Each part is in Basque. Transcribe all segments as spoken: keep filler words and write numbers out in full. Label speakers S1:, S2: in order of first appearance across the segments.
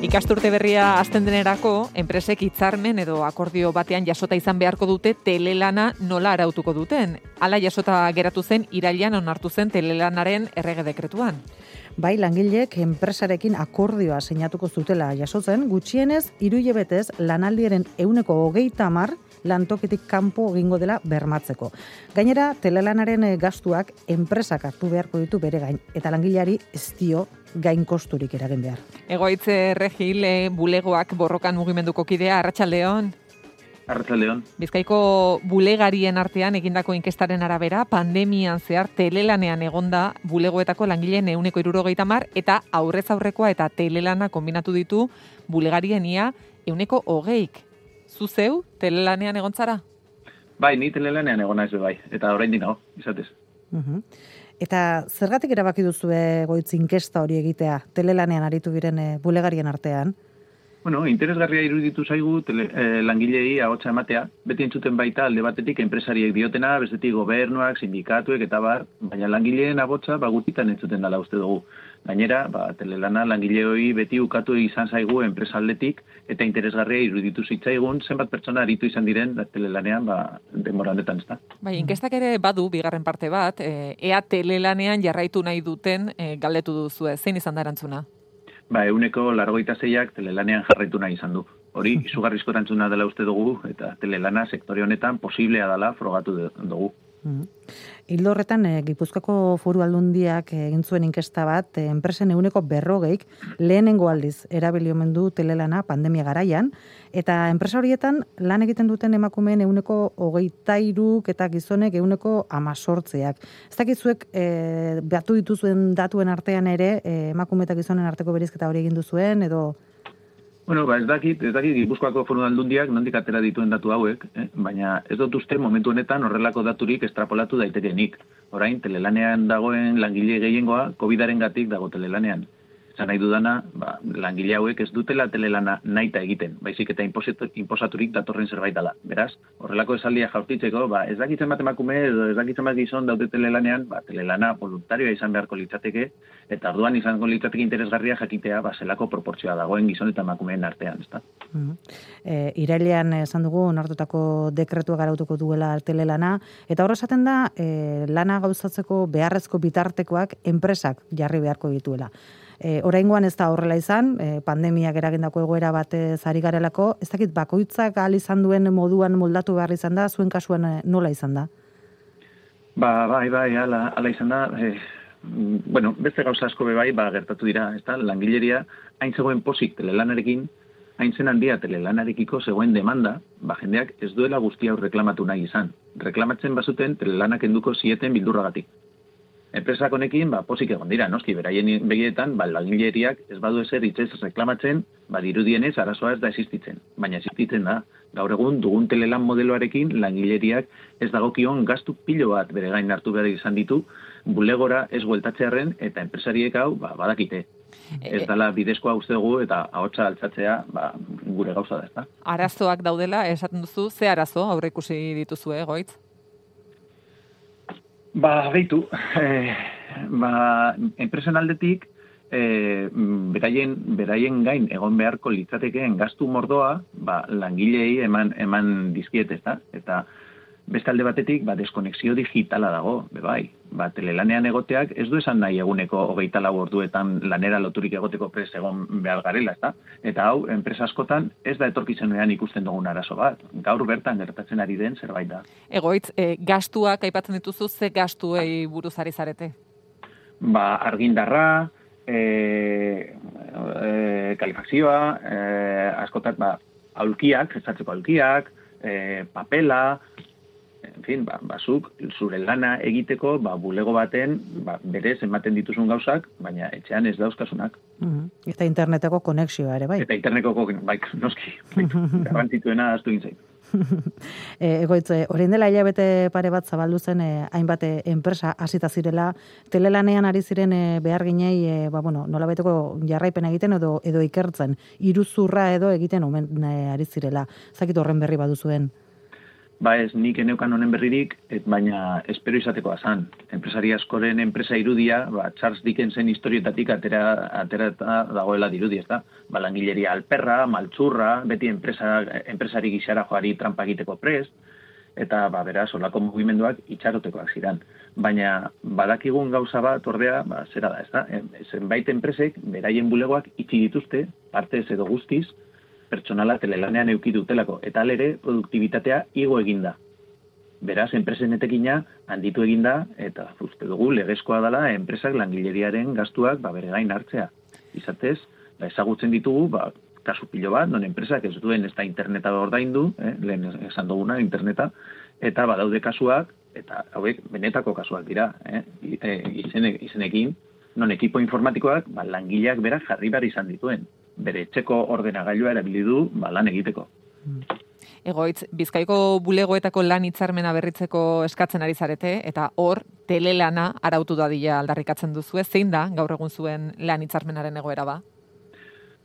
S1: Ikasturte berria hasten denerako, enpresek hitzarmen edo akordio batean jasota izan beharko dute telelana nola arautuko duten. Hala jasota geratu zen irailean onartu zen telelanaren errege dekretuan.
S2: Bai, langileek enpresarekin akordioa sinatuko zutela jasotzen, gutxienez hiru hilabetez lanaldiaren ehuneko hogeita hamar lantokitik kanpo egingo dela bermatzeko. Gainera, telelanaren gastuak enpresak hartu beharko ditu bere gain, eta langileari ez dio gain kosturik eragin behar.
S1: Egoitze Regil, bulegoak borrokan mugimenduko kidea, Arratsaldeon.
S3: Arratsaldeon.
S1: Bizkaiko bulegarien artean egindako inkestaren arabera, pandemian zehar telelanean egonda bulegoetako langileen ehuneko hirurogeita hamar eta aurrez aurrekoa eta telelana kombinatu ditu bulegarien ia ehuneko hogeik. Zu zeu telelanean egon zara?
S3: Bai, ni telelanean egon naiz bai, eta oraindik nago, izatez.
S2: Uh-huh. Eta zergatik erabaki duzu egoitz inkesta hori egitea telelanean aritu diren bulegarien artean?
S3: Bueno, interesgarria iruditu zaigu tele, eh, langilei ahotsa ematea, beti entzuten baita alde batetik enpresariek diotena, bestetik gobernuak, sindikatuek eta bar, baina langileen ahotsa ba gutitan entzuten dela uste dugu. Gainera, ba, telelana langileoi beti ukatu izan zaigu enpresaldetik eta interesgarria iruditu zitzaigun zenbat pertsona aritu izan diren telelanean ba, denbora honetan, ezta.
S1: Bai, inkestak ere badu bigarren parte bat, e, ea telelanean jarraitu nahi duten e, galdetu duzu, zein izan da erantzuna?
S3: Ba, euneko largoita zeiak telelanean jarraitu nahi izan du. Hori, izugarrizko erantzuna dela uste dugu, eta telelana sektore honetan posiblea dela frogatu dugu.
S2: Hildo horretan, e, Gipuzkoako Foru Aldundiak egin zuen inkesta bat, e, enpresen ehuneko berrogeik lehenengo aldiz erabili omen du telelana pandemia garaian, eta enpresa horietan lan egiten duten emakumeen ehuneko hogeita hiruk eta gizonek ehuneko hemezortziak. Ez dakizuek e, batu dituzuen datuen artean ere e, emakume eta gizonen arteko berizketa hori egin duzuen edo?
S3: Bueno, ba, ez dakit, ez dakit Gipuzkoako Foru Aldundiak nondik atera dituen datu hauek, eh? Baina ez dut uste momentu honetan horrelako daturik estrapolatu daitekenik. Orain, telelanean dagoen langile gehiengoa, covidarengatik dago telelanean. Esan nahi dudana, ba, langile hauek ez dutela telelana nahita egiten, baizik eta inposaturik datorren zerbait dela. Beraz, horrelako esaldia jaurtitzeko, ba, ez dakitzen bat emakume edo ez dakitzen bat gizon daude telelanean, ba, telelana voluntarioa izan beharko litzateke, eta orduan izango litzateke interesgarria jakitea, ba, zelako proportzioa dagoen gizon eta emakumeen artean, ezta?
S2: Uh-huh. E, irailean esan dugu, onartutako dekretua garautuko duela telelana, eta horra esaten da, e, lana gauzatzeko beharrezko bitartekoak enpresak jarri beharko dituela. E, oraingoan ez da horrela izan, e, pandemiak eragindako egoera batez ari garelako, ez dakit bakoitzak ahal izan duen moduan moldatu behar izan da, zuen kasuan nola izan da?
S3: Ba, bai, bai, ala, ala izan da, e, bueno, beste gauza asko be bai, ba, gertatu dira, ez da, langileria, hain zegoen posik telelanarekin, hain zen handia telelanarekiko zegoen demanda, ba, jendeak ez duela guzti hau reklamatu nahi izan. Reklamatzen bazuten telelanak enduko zieten bildurragatik. Enpresak honekin, ba, posik egon dira, noski, beraien begietan, ba, langileriak ez badu ezer hitzez reklamatzen, ba, dirudienez arazoa ez da existitzen. Baina existitzen da, gaur egun dugun telelan modeloarekin langileriak ez dagokion gastu pilo bat bere gain hartu behar izan ditu, bulegora ez bueltatzearen eta enpresariek hau, ba, badakite. Ez dela bidezkoa uste dugu eta ahotsa altzatzea ba, gure gauza da, ezta?
S1: Arazoak daudela, esaten duzu, ze arazo aurre ikusi dituzu, egoitz?
S3: Ba, behitu, eh, ba, enpresen aldetik, eh, beraien, beraien gain egon beharko litzatekeen gastu mordoa, ba, langilei eman, eman dizkiet, ezta? Eta beste alde batetik, ba, deskonexio digitala dago, bebai. Ba, telelanean egoteak ez du esan nahi eguneko hogeita lau orduetan lanera loturik egoteko prest egon behar garela, ezta? Eta hau, enpresa askotan ez da etorkizunean ikusten dugun arazo bat. Gaur bertan gertatzen ari den zerbait da.
S1: Egoitz, e, gastuak aipatzen dituzu, ze gastuei buruz ari zarete?
S3: Ba, argindarra, e, e, kalifazioa, e, askotan, ba, aulkiak, esatzeko aulkiak, e, papela, en fin, ba, bazuk, zure lana egiteko, ba, bulego baten, ba, berez ematen dituzun gauzak, baina etxean ez dauzkasunak.
S2: Uh-huh. Eta interneteko konexioa ere, bai?
S3: Eta interneteko, bai, noski, bai, garrantzituena aztu gintzait.
S2: e, egoitz, orain dela hilabete pare bat zabaldu zen e, hainbat enpresa hasita zirela, telelanean ari ziren e, behar ginei, e, ba, bueno, nolabaiteko jarraipen egiten edo edo ikertzen, iruzurra edo egiten omen e, ari zirela. Zakit horren berri baduzuen.
S3: ba ez nik eneukan honen berririk, et baina espero izatekoa zan. Enpresari askoren enpresa irudia, ba, Charles Dickensen historietatik atera, atera dagoela dirudi, ez da? Ba, langileria alperra, maltzurra, beti enpresa, enpresari gixara joari trampa egiteko prest, eta ba, beraz, olako mugimenduak itxarotekoak ziren. Baina badakigun gauza bat, ordea, ba, zera da, ez da? Zenbait enpresek, beraien bulegoak itxi dituzte, partez edo guztiz, pertsonala telelanean euki dutelako, eta alere produktibitatea igo eginda. Beraz, enpresen etekina handitu eginda, eta uste dugu legezkoa dela enpresak langileriaren gastuak ba, bere gain hartzea. Izatez, ba, ezagutzen ditugu, ba, kasu pilo bat, non enpresak ez duen ez da interneta ordaindu, eh, lehen esan duguna interneta, eta badaude kasuak, eta hauek benetako kasuak dira, eh, izenek, izenekin, non ekipo informatikoak ba, langileak berak jarri behar izan dituen. Bere etxeko ordenagailua erabili du ba, lan egiteko.
S1: Egoitz, Bizkaiko bulegoetako lan hitzarmena berritzeko eskatzen ari zarete, eta hor, telelana arautu dadila aldarrikatzen duzu, zein da gaur egun zuen lan hitzarmenaren egoera ba?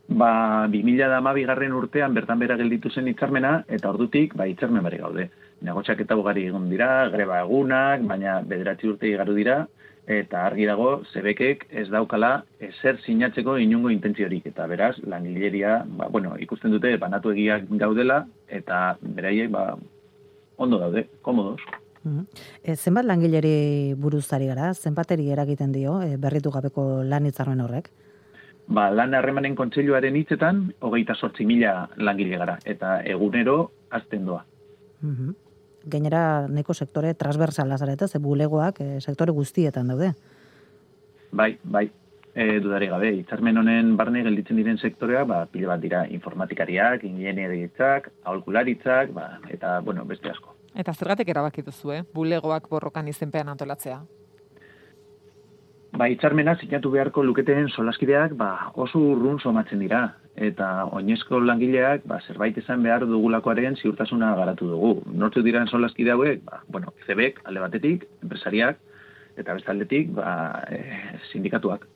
S3: Ba, bi mila hamabigarren urtean bertan bera gelditu zen hitzarmena, eta ordutik ba, hitzarmen bari gaude. Negoziaketa ugari egon dira, greba egunak, baina bederatzi urte igaru dira, eta argi dago, zebekek ez daukala ezer sinatzeko inungo intentziorik. Eta beraz, langileria, ba, bueno, ikusten dute, banatu egiak gaudela, eta beraiek, ba, ondo daude, komodos.
S2: Mm-hmm. E, zenbat langileri buruzari gara, zenbateri eragiten dio, e, berritu gabeko lan hitzarmen horrek?
S3: Ba, lan harremanen kontseiluaren hitzetan, hogeita sortzi mila langile gara, eta egunero azten doa.
S2: Mm-hmm. Gainera, neko sektore transversala zarete, ze bulegoak e, sektore guztietan daude.
S3: Bai, bai, e, dudari gabe, hitzarmen honen barne gelditzen diren sektorea, ba, pile bat dira informatikariak, ingenieritzak, aholkularitzak, ba, eta, bueno, beste asko.
S1: Eta zergatik erabaki duzu, eh? Bulegoak borrokan izenpean antolatzea?
S3: Ba, hitzarmena sinatu beharko luketen solaskideak ba, oso urrun somatzen dira. Eta oinezko langileak ba, zerbait esan behar dugulakoaren ziurtasuna garatu dugu. Nortzu diran solaskide hauek, ba, bueno, zebek, alde batetik, enpresariak, eta beste aldetik, ba, e, sindikatuak.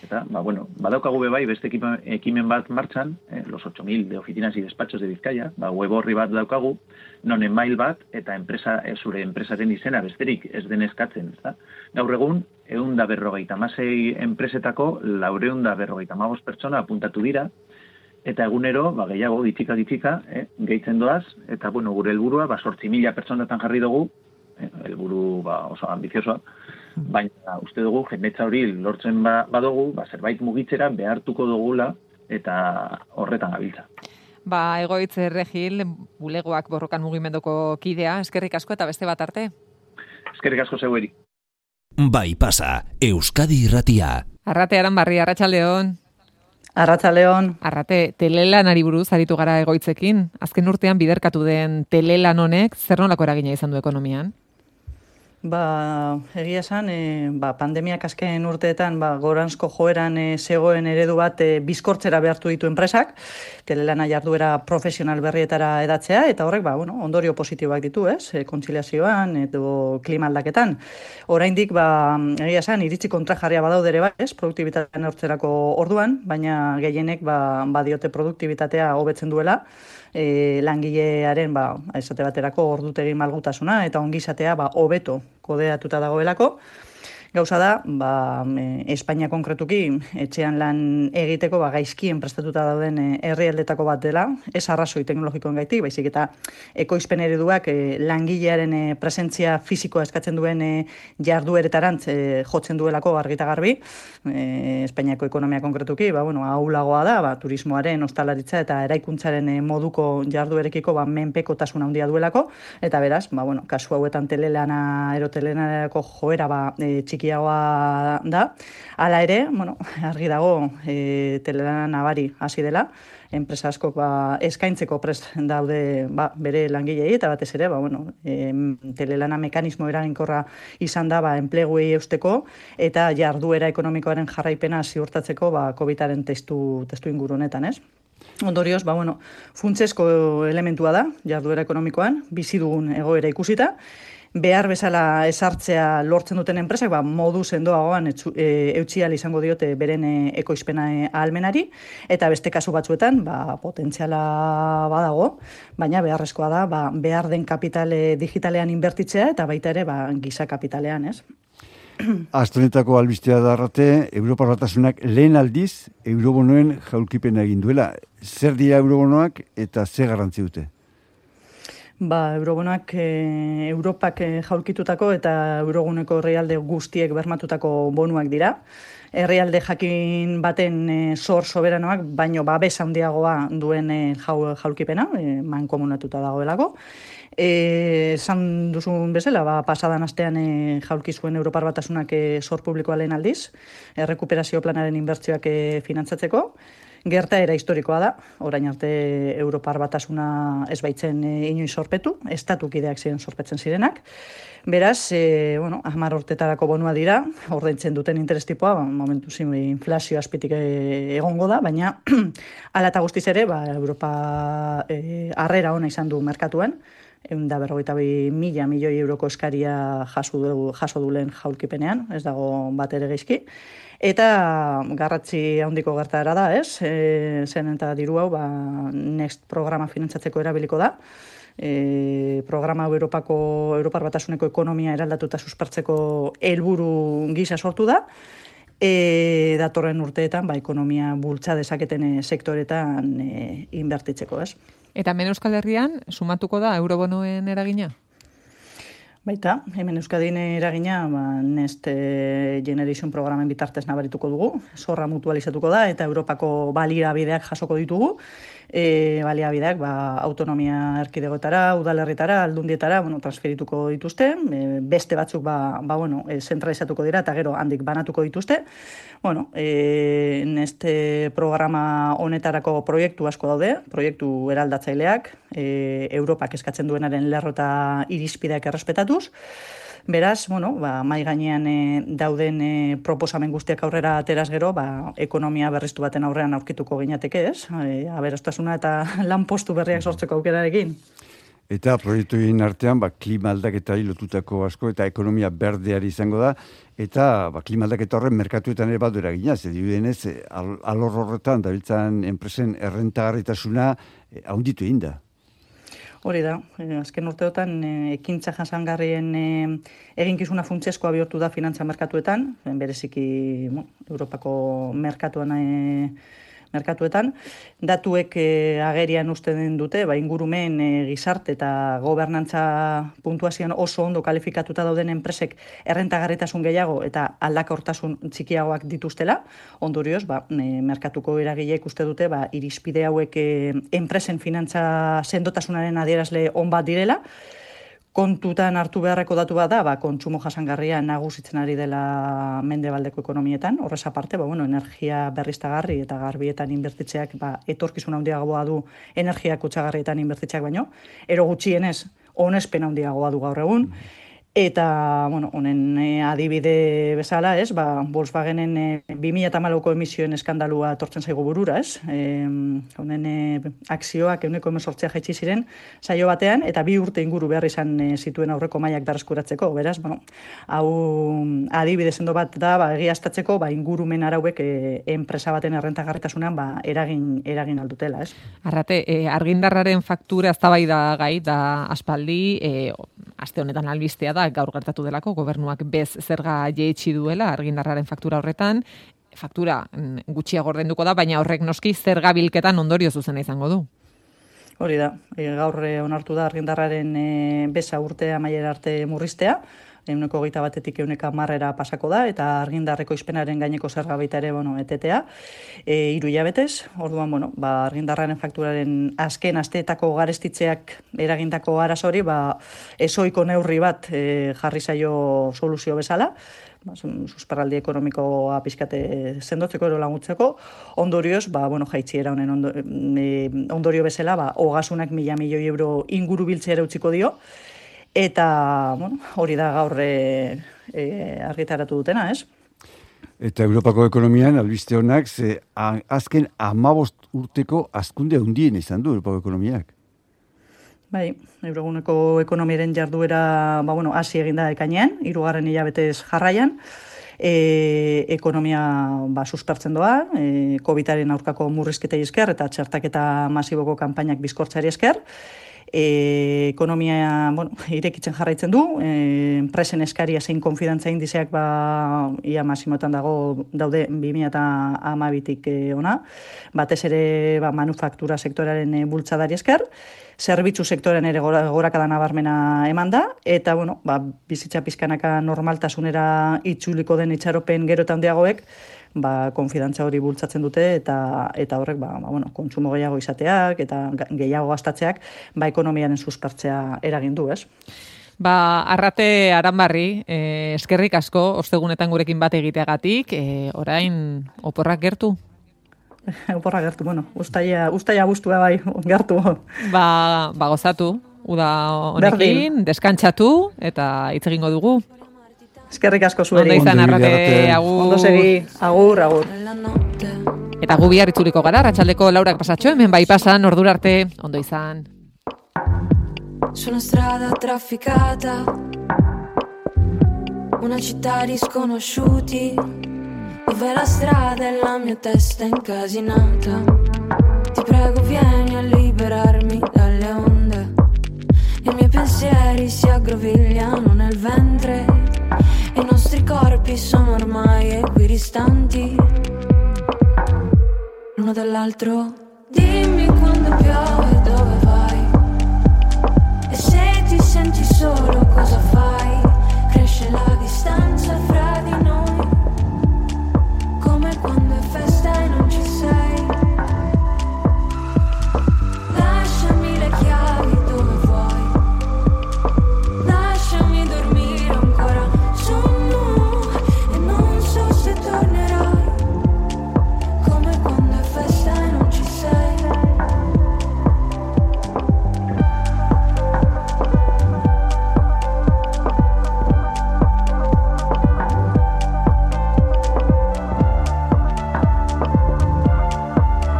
S3: Eta, ba, bueno, badaukagu bebai beste ekimen bat martxan, eh, los ocho mil de oficinas y despachos de Bizkaia, ba, web horri bat daukagu, non email bat, eta enpresa, e, zure enpresaren izena besterik ez den eskatzen, ezta? Gaur egun, ehun da berrogeita hamasei enpresetako, laureun da berrogeita hamabost pertsona apuntatu dira, eta egunero, ba, gehiago, gitxika gitxika, eh, gehitzen doaz, eta, bueno, gure helburua, ba, sortzi mila pertsonatan jarri dugu, eh, helburu, ba, oso ambiziosoa, baina uste dugu, jendetza hori lortzen ba, badugu, ba, zerbait mugitzera behartuko dugula eta horretan gabiltza.
S1: Ba, Egoitz Regil, bulegoak borrokan mugimenduko kidea, eskerrik asko eta beste bat arte.
S3: Eskerrik asko zeueri.
S4: Bai pasa, Euskadi Irratia.
S1: Arrate Aranbarri, Arratsaldeon.
S5: Arratsaldeon.
S1: Arrate, telelanari buruz aritu gara Egoitzekin. Azken urtean biderkatu den telelan honek zer nolako eragina izan du ekonomian?
S5: Ba, egia esan, e, ba, pandemiak azken urteetan ba, goranzko joeran e, zegoen eredu bat e, bizkortzera behartu ditu enpresak, telelana jarduera profesional berrietara edatzea, eta horrek ba, bueno, ondorio positiboak ditu, ez? E, kontziliazioan edo klima aldaketan. Oraindik ba, egia esan, iritzi kontrajarria badaudere ba, ez? Produktibitatea neurtzerako orduan, baina gehienek ba, badiote produktibitatea hobetzen duela, E, langilearen ba, esate baterako ordutegi malgutasuna eta ongizatea ba, hobeto kodeatuta dagoelako. Gauza da, ba, e, Espainia konkretuki etxean lan egiteko ba, gaizkien prestatuta dauden e, herrialdetako bat dela, ez arrazoi teknologikoen gaitik, baizik eta ekoizpen ereduak e, langilearen e, presentzia fisikoa eskatzen duen e, jardueretarantz e, jotzen duelako argita garbi. E, Espainiako ekonomia konkretuki, ba, bueno, ahulagoa da, ba, turismoaren, ostalaritza eta eraikuntzaren e, moduko jarduerekiko ba, menpekotasun handia duelako, eta beraz, ba, bueno, kasu hauetan telelana erotelenarako joera ba, e, txikiagoa da. Hala ere, bueno, argi dago e, telelana nabari hasi dela, enpresa askok ba, eskaintzeko prest daude ba, bere langilei, eta batez ere, ba, bueno, e, telelana mekanismo eraginkorra izan da ba, enpleguei eusteko, eta jarduera ekonomikoaren jarraipena ziurtatzeko ba, COVIDaren testu, testu inguru honetan, ez? Ondorioz, ba, bueno, funtsezko elementua da, jarduera ekonomikoan, bizi dugun egoera ikusita, behar bezala esartzea lortzen duten enpresak, ba, modu sendoagoan e, eutxi ahal izango diote beren e, ekoizpena e, ahalmenari, eta beste kasu batzuetan ba, potentziala badago, baina beharrezkoa da ba, behar den kapitale digitalean inbertitzea eta baita ere ba, giza kapitalean, ez?
S6: Astonetako albistea darrate, Europar Batasunak lehen aldiz eurobonoen jaulkipena egin duela. Zer dira eurobonoak eta zer garrantzi dute?
S5: Ba, eurobonoak e, Europak e, jaulkitutako eta euroguneko herrialde guztiek bermatutako bonuak dira. Herrialde jakin baten e, zor soberanoak, baino babes handiagoa duen e, jau, jaulkipena, e, mankomunatuta dagoelako. Esan duzun bezala, ba, pasadan astean e, jaulki zuen Europar Batasunak e, zor publikoa lehen aldiz, errekuperazio planaren inbertsioak e, finantzatzeko. Gertaera historikoa da, orain arte Europar Batasuna ez baitzen e, inoiz sorpetu, estatukideak ziren sorpetzen zirenak. Beraz, e, bueno, hamar urtetarako bonua dira, ordaintzen duten interestipoa, ba, momentu zin inflazio azpitik e, egongo da, baina hala eta guztiz ere, ba, Europa e, harrera ona izan du merkatuan, ehun eta berrogeita bi mila milioi euroko eskaria jaso du, jaso dulen jaulkipenean, ez dago bat ere geizki. Eta garratzi handiko gertaera da, ez? E, zen eta diru hau, ba, Next programa finantzatzeko erabiliko da. E, programa Europako, Europar Batasuneko ekonomia eraldatuta suspertzeko helburu gisa sortu da. E, datorren urteetan, ba, ekonomia bultza dezaketen sektoretan e, inbertitzeko, ez?
S1: Eta hemen Euskal Herrian, sumatuko da eurobonoen eragina?
S5: Baita, hemen Euskadin eragina ba, Next Generation programen bitartez nabarituko dugu, zorra mutualizatuko da eta Europako baliabideak jasoko ditugu. E, baliabideak ba, autonomia erkidegoetara, udalerritara, aldundietara bueno, transferituko dituzte, e, beste batzuk ba, ba, bueno, e, zentralizatuko dira eta gero handik banatuko dituzte. Bueno, e, Next programa honetarako proiektu asko daude, proiektu eraldatzaileak, e, Europak eskatzen duenaren lerro eta irizpideak errespetatuz. Beraz, bueno, ba, mai gainean e, dauden e, proposamen guztiak aurrera ateraz gero, ba, ekonomia berriztu baten aurrean aurkituko ginateke, ez? E, aberastasuna eta lanpostu berriak sortzeko aukerarekin.
S6: Eta proiektuin artean, ba, klima aldaketa lotutako asko eta ekonomia berdeari izango da, eta ba, klima aldaketa horren merkatuetan ere badu eragina, ze dirudenez, al, alor horretan dabiltzan enpresen errentagarritasuna e, haunditu egin da.
S5: Hori da, e, azken urteotan e, ekintza jasangarrien e, eginkizuna funtsezkoa bihurtu da finantza merkatuetan, bereziki bueno, Europako merkatuan e, merkatuetan. Datuek e, agerian usten dute, ba, ingurumen e, gizarte eta gobernantza puntuazioan oso ondo kalifikatuta dauden enpresek errentagarritasun gehiago eta aldakortasun txikiagoak dituztela. Ondorioz, ba, e, merkatuko eragileek uste dute ba, irizpide hauek e, enpresen finantza sendotasunaren adierazle on bat direla. Kontutan hartu beharreko datu bat da, ba, kontsumo jasangarria nagusitzen ari dela mendebaldeko ekonomietan. Horrez aparte, ba, bueno, energia berriztagarri eta garbietan inbertitzeak ba, etorkizun handiagoa du energia kutsagarrietan inbertitzeak baino. Ero gutxienez, onespen handiagoa du gaur egun. Eta, bueno, honen e, adibide bezala, ez, ba, Volkswagenen e, bi mila hamalauko emisioen eskandalua etortzen zaigu burura, ez? E, honen e, akzioak ehuneko hemezortzia jaitsi ziren saio batean, eta bi urte inguru behar izan e, zituen aurreko mailak berreskuratzeko, beraz, bueno, hau adibide sendo bat da, ba, egiaztatzeko, ba, ingurumen arauek e, enpresa baten errentagarritasunean ba, eragin, eragin aldutela, ez?
S1: Arrate, e, argindarraren faktura eztabaida gai da aspaldi, e, aste honetan albistea da, gaur gertatu delako, gobernuak bez zerga jeitsi duela argindarraren faktura horretan, faktura gutxiago ordainduko da, baina horrek noski zerga bilketan ondorio zuzena izango du.
S5: Hori da, e, gaur onartu da argindarraren e, beza urte amaiera arte murriztea, ehuneko hogeita batetik ehuneko hamarrera pasako da, eta argindarreko izpenaren gaineko zerga baita ere, bueno, etetea, e, hiru hilabetez, orduan, bueno, ba, argindarraren fakturaren azken asteetako garestitzeak eragindako arazori, ba, ezoiko neurri bat e, jarri zaio soluzio bezala, ba, susperraldi ekonomikoa pizkate sendotzeko ero laguntzeko, ondorioz, ba, bueno, jaitziera honen ondo, e, ondorio bezala, ba, ogasunak mila milioi euro inguru biltzea utziko dio, eta, bueno, hori da gaur e, e, argitaratu dutena, ez?
S6: Eta Europako ekonomian, albiste honak, ze azken hamabost urteko hazkunde handien izan du Europako ekonomiak.
S5: Bai, euroguneko ekonomiaren jarduera, ba, bueno, hasi eginda ekainean, hirugarren hilabetez jarraian, e, ekonomia ba, suspertzen doa, e, COVIDaren aurkako murrizketei esker eta txertaketa masiboko kanpainak bizkortzari esker, E, ekonomia bueno, irekitzen jarraitzen du, e, enpresen eskaria zein konfidantza indizeak ba, ia masimotan dago daude bi mila hamabitik e, ona, batez ere ba, manufaktura sektoraren e, bultzadari esker, zerbitzu sektorean ere gora, gorakada nabarmena eman da, eta bueno, ba, bizitza pizkanaka normaltasunera itzuliko den itxaropen gero eta handiagoek, ba, konfidantza hori bultzatzen dute eta eta horrek ba, ba, bueno, kontsumo gehiago izateak eta gehiago gastatzeak ba, ekonomiaren suspertzea eragin du, ez?
S1: Ba, Arrate Aranbarri, eh, eskerrik asko, ostegunetan gurekin bat egiteagatik, eh, orain oporrak gertu?
S5: Oporrak gertu, bueno, ustaia, ustaia guztua bai, gertu.
S1: Ba, ba gozatu, uda honekin, Berdin. Deskantzatu eta hitz egingo dugu.
S5: Eskerrik asko zueri.
S1: Ondo izan, Arrate, agur.
S5: Ondo segi, agur, agur.
S1: Eta gu bihar itzuliko gara, arratsaldeko laurak pasatxo, hemen bai pasan, ordura arte, ondo izan.
S7: Su una strada trafficata, una città di sconosciuti, dove la strada e la mia testa incasinata. Ti prego vieni a liberarmi dalle onde, i miei pensieri si aggrovigliano nel ventre, i nostri corpi sono ormai equidistanti l'uno dall'altro. Dimmi quando piove dove vai, e se ti senti solo cosa fai. Cresce la distanza fra di noi, come quando è festa e non ci sei. Lasciami le chiavi dove vuoi, lasciami dormire ancora. Sono e non so se tornerai, come quando è festa e non ci sei.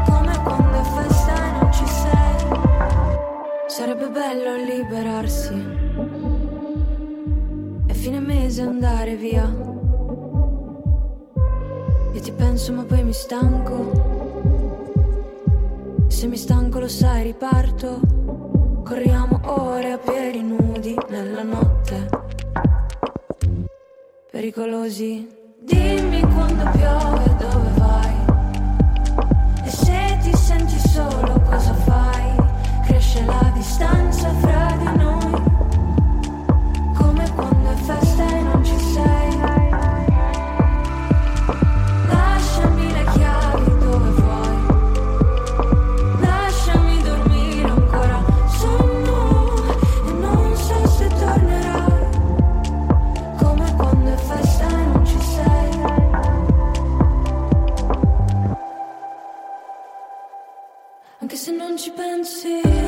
S7: Come quando è festa e non ci sei. Sarebbe bello liberarsi e fine mese andare via. Io ti penso ma poi mi stanco, se mi stanco lo sai riparto. Corriamo ore a piedi nudi nella notte, pericolosi. Dimmi quando piove dove vai, e se ti senti solo cosa fai. Cresce la distanza fra di noi, come quando è festa e non ci sei. Lasciami le chiavi dove vuoi, lasciami dormire ancora. Sono e non so se tornerai, come quando è festa e non ci sei. Anche se non ci pensi.